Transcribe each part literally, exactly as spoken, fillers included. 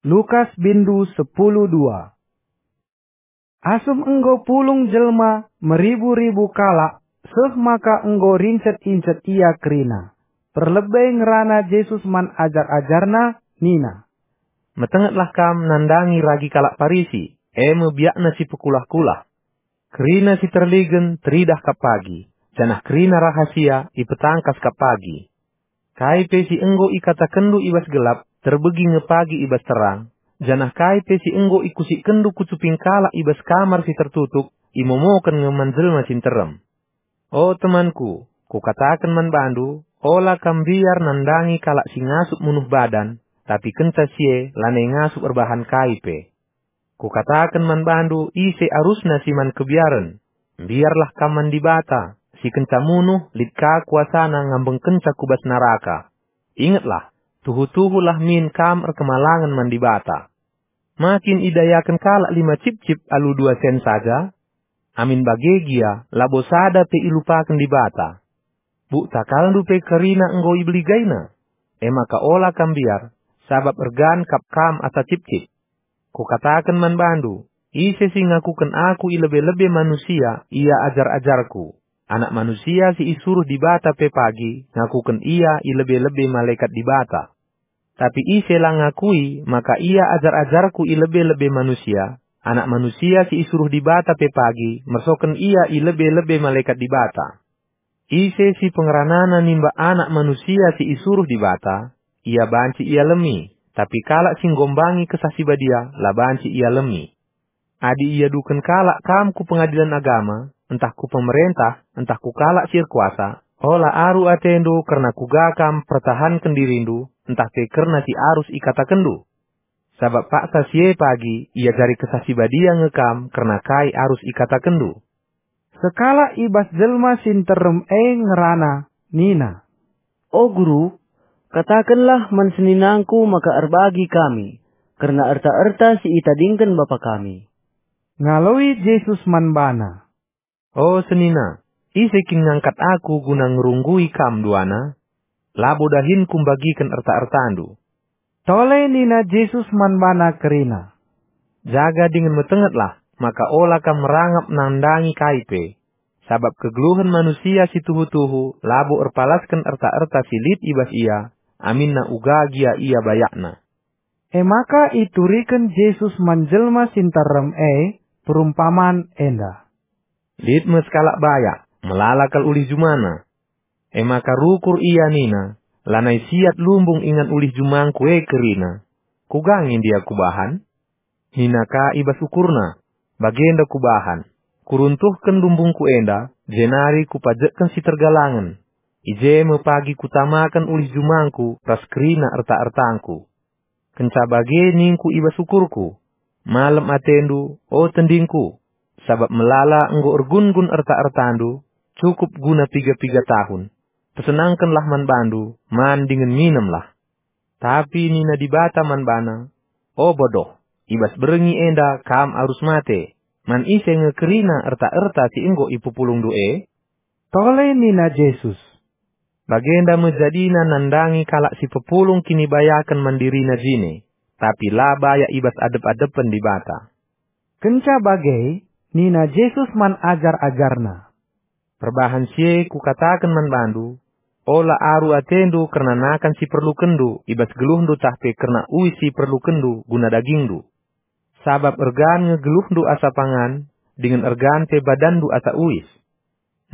Lukas bindu sepuluh dua. Asum enggo pulung jelma meribu-ribu kalak, seh maka enggo rincet-incet ia kerina. Perlebe ngerana Jesus man ajar-ajarNa, nina, "Metengetlah kam nandangi ragi kalak Parisi, e me biakna si pekulah-kulah. Kerina si terligen teridah kap pagi, janah kerina rahasia ipetangkas kap pagi. Kai pe si enggo ikatakenndu i bas gelap, terbegi nge pagi i bas terang, janah kai pe si enggo ikusikkenndu ku cuping kalak i bas kamar si tertutup, imomoken nge man jelma si nterem. O temanku, kukataken man bandu, ola kam mbiar nandangi kalak si ngasup munuh badan, tapi kenca si e lanai ngasup erbahan kai pe. Kukataken man bandu, ise arusna si man kebiaren. Mbiarlah kam man Dibata, si kenca munuh, lit ka kuasana ngambengkenca ku bas naraka. Ingetlah, tuhu-tuhulah min kam erkemalangen man Dibata. Ma kin idayaken kalak lima cipcip alu dua sen saja? Amin bage gia, labo sada pe ilupaken Dibata. Bukta kalndu pe kerina enggo ibeligaina. E maka ola kam mbiar, sabap ergan kap kam asa cipcip. Kukataken man bandu, ise si ngakuken aku i lebe-lebe manusia, ia ajar-ajarku. Anak Manusia si isuruh Dibata pe pagi ngakuken ia i lebe-lebe malekat Dibata. Tapi ise la ngakui maka ia ajar-ajarku i lebe-lebe manusia, Anak Manusia si isuruh Dibata pe pagi mersoken ia i lebe-lebe malekat Dibata. Ise si pengeranana nimbak Anak Manusia si isuruh Dibata, ia banci ialemi, tapi kalak si nggombangi Kesah Si Badia la banci ialemi. Adi iaduken kalak kam ku pengadilen agama, ntah ku pemerentah, ntah ku kalak si erkuasa, ola aru atendu kerna kuga kam pertahanken dirindu, ntah pe kerna si arus ikatakenndu. Sabap paksa si e pagi iajari Kesah Si Badia nge kam kerna kai arus ikatakenndu." Sekalak i bas jelma si nterem e ngerana, nina, "O Guru, katakenlah man seninangku maka erbagi kami kerna erta-erta si itadingken bapa kami." Ngaloi Jesus man bana, "O senina, ise kin ngangkat Aku guna ngerunggui kam duana? Labo dahin Kumbagiken erta-ertandu." Tole nina Jesus man bana kerina, "Jaga dingen metengetlah, maka ola kam merangap nandangi kai pe. Sabap kegeluhen manusia si tuhu-tuhu labo erpalasken erta-erta si lit i bas ia, aminna uga gia ia bayakna." E maka ituriken Jesus man jelma si nterem e perumpaman enda, "Lit me sekalak bayak, melala kal ulih jumana. E maka rukur ia nina, 'Lanai siat lumbung ingan ulih jumangku e kerina. Kuga nge ndia kubahan?' Nina ka i bas ukurna, 'Bagenda kubahan, kuruntuhken lumbungku enda, jenari kupajekken si tergalangen. I je me pagi kutamaken ulih jumangku ras kerina erta-ertangku.' Kenca bage ningku i bas ukurku, 'Malem atendu, o tendingku, sabap melala enggo ergun-gun erta-ertandu, cukup guna piga-piga tahun. Pesenangkenlah man bandu, man dingen minemlah.' Tapi nina Dibata man bana, 'O bodoh, i bas berngi enda kam arus mate. Man ise nge kerina erta-erta si enggo ipepulungndu e?'" Tole nina Jesus, "Bagenda me jadina nandangi kalak si pepulung kinibayaken man dirina jine, tapi la bayak i bas adep-adepen Dibata." Kenca bage, nina Jesus man ajar-ajarNa, "Perbahan si e Kukataken man bandu, ola aru atendu kerna nakan si perlukenndu i bas geluhndu tah pe kerna uis si perlukenndu guna dagingndu. Sabap ergan nge geluhndu asa pangan, dingen ergan pe badanndu asa uis.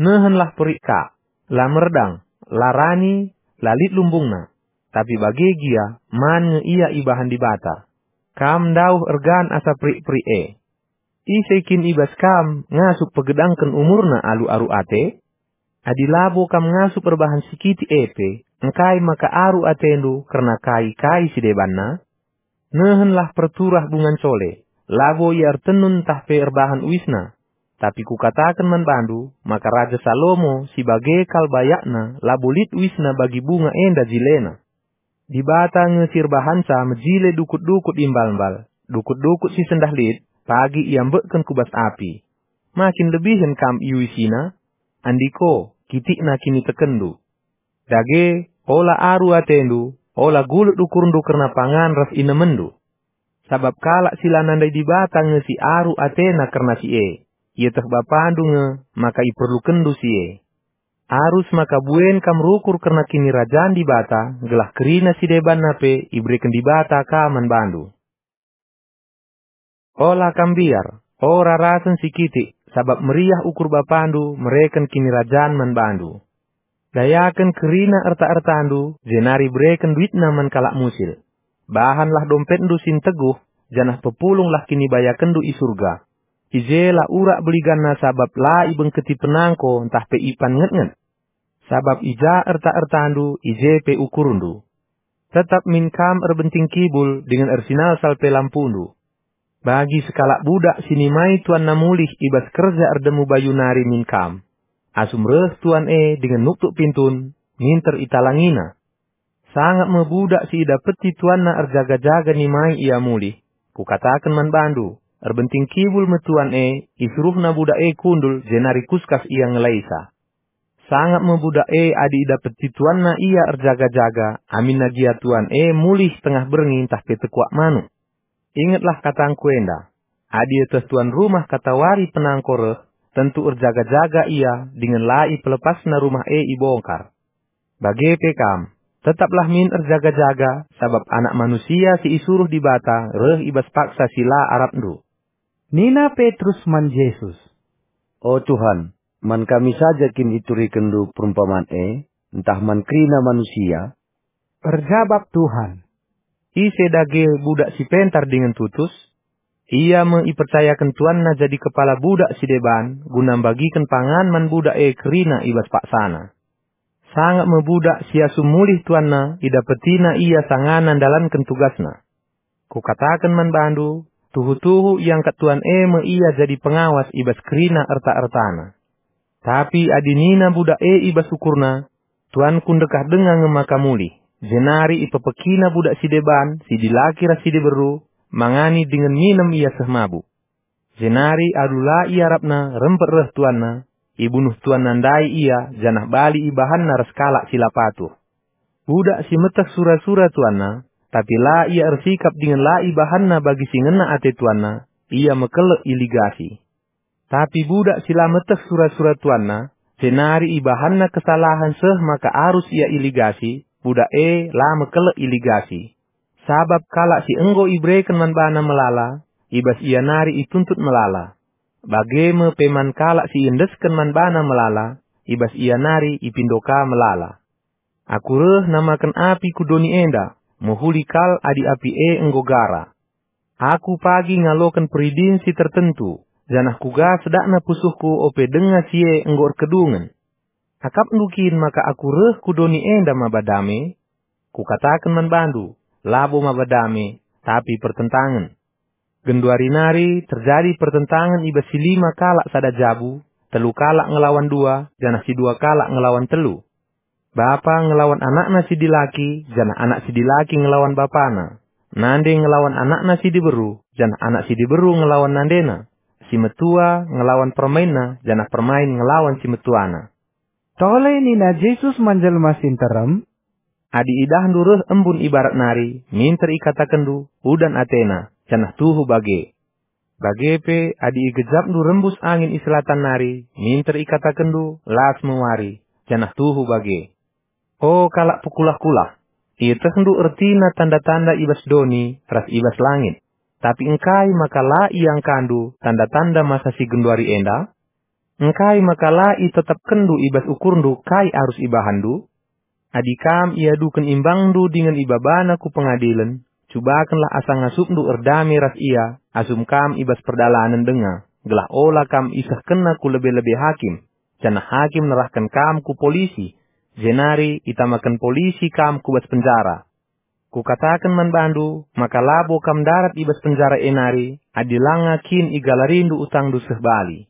Nehenlah perik ka, la merdang, la rani, la lit lumbungna, tapi bage gia man nge ia ibahan Dibata. Kam ndauh ergan asa perik-perik e. Ise kin i bas kam ngasup pegedangken umurna alu aru ate? Adi labo kam ngasup erbahan si kitik e pe, engkai maka aru atendu kerna kai-kai si debanna? Nehenlah perturah bunga ncole, labo ia ertenun ntah pe erbahan uisna. Tapi Kukataken man bandu maka Raja Salomo si bage kal bayakna labo lit uisna bagi bunga enda jilena. Dibata nge si erbahanca mejile dukut-dukut imbal-mbal, dukut-dukut si sendah lit, pagi iambekken ku bas api. Ma kin lebihen kam iuisina? Andiko, kitikna kinitekenndu. Dage, ola aru atendu, ola gulut ukurndu kerna pangan ras inemenndu. sabap kalak si la nandai Dibata nge si aru atena kerna si e. Ieteh Bapandu nge maka iperlukenndu si e. Arus maka buen kam rukur kerna Kinirajan Dibata, gelah kerina si debanna pe ibereken Dibata ka man bandu. Ola kam mbiar, o rarasen si kitik, sabap meriah ukur Bapandu mereken Kinirajan man bandu. Dayaken kerina erta-ertandu, jenari bereken duitna man kalak musil. Bahanlah dompetndu si nteguh, janah pepulunglah kinibayakenndu i Surga. I je la urak beliganna sabap la ibengketi penangko ntah pe ipan ngetnget. Sabap i ja erta-ertandu, i je pe ukurndu. Tetap min kam erbenting kibul dingen ersinalsal pe lampundu. Bagi sekalak budak si nimai tuanna mulih i bas kerja erdemu bayu nari min kam. Asum reh tuan e dingen nuktuk pintun, minter italangina. Sangap me budak si idapeti tuanna erjaga-jaga nimai ia mulih. Kukataken man bandu, erbenting kibul me tuan e, isuruhna budak e kundul jenari kuskas ia ngelaisa. Sangap me budak e adi idapeti tuanna ia erjaga-jaga, aminna gia tuan e mulih tengah berngi ntah pe tekuak manuk. Ingetlah katangku enda, adi ieteh tuan rumah katawari penangko reh, tentu erjaga-jaga ia dingen la ipelepasna rumah e ibongkar. Bage pe kam, tetaplah min erjaga-jaga, sabap Anak Manusia si isuruh Dibata reh i bas paksa si la arapndu. Nina Petrus man Jesus, "O Tuhan, man kami saja kin ituririkenndu perumpaman e, ntah man kerina manusia?" Erjabap Tuhan, "Ise dage budak si pentar dingen tutus? Ia me ipercayaken tuanna jadi kepala budak si deban guna mbagiken pangan man budak e kerina i bas paksana. Sangap me budak si asum mulih tuanna idapetina ia sangana ndalanken tugasna. Kukataken man bandu, tuhu-tuhu iangkat tuan e me ia jadi pengawas i bas kerina erta-ertana. Tapi adi nina budak e i bas ukurna, 'Tuanku ndekah denga nge maka mulih,' jenari ipepekina budak si deban, si dilaki ras si diberu, mangani dingen minem ia seh mabuk. Jenari alu la iarapna rempet reh tuanna, ibunuh tuanna ndai ia, janah bali ibahanna ras kalak si la patuh. Budak si meteh sura-sura tuanna, tapi la ia ersikap dingen la ibahanna bagi si ngena ate tuanna, ia mekelek iligasi. Tapi budak si la meteh sura-sura tuanna, jenari ibahanna kesalahen seh maka arus ia iligasi, budak e la mekelek iligasi. Sabap kalak si enggo ibereken man bana melala, i bas ia nari ituntut melala. Bage me pe man kalak si iendesken man bana melala, i bas ia nari ipindo ka melala. Aku reh namaken api ku doni enda, mehuli kal adi api e enggo gara. Aku pagi ngaloken peridin si tertentu, janah kuga sedakna pusuhku ope denga si e enggo erkedungen. Akapndu kin maka aku reh ku doni enda maba dame? Kukataken man bandu, labo maba dame, tapi pertentangen. Genduari nari terjadi pertentangen i bas si lima kalak sada jabu, telu kalak ngelawan dua, janah si dua kalak ngelawan telu. Bapa ngelawan anakna si dilaki, janah anak si dilaki ngelawan bapana. Nande ngelawan anakna si diberu, janah anak si diberu ngelawan nandena. Si metua ngelawan permainna, janah permain ngelawan si metuana." Tole nina Jesus man jelma si nterem, "Adi idahndu reh embun i barat nari, minter ikatakenndu, 'Udan atena,' janah tuhu bage. Bage pe, adi igejapndu rembus angin i selatan nari, minter ikatakenndu, 'Las me wari,' janah tuhu bage. O kalak pekulah-kulah, ietehndu ertina tanda-tanda i bas doni ras i bas langit. Tapi engkai maka la iangkandu tanda-tanda masa si genduari enda? Engkai maka la itetapkenndu i bas ukurndu kai arus ibahanndu? Adi kam iaduken imbangndu dingen ibabana ku pengadilen, cubakenlah asa ngasupndu erdame ras ia asum kam i bas perdalanen denga, gelah ola kam isehkenna ku lebe-lebe hakim, janah hakim nerahken kam ku polisi, jenari itamaken polisi kam ku bas penjara. Kukataken man bandu maka labo kam ndarat i bas penjara e nari, adi langa kin igalarindu utangndu seh bali.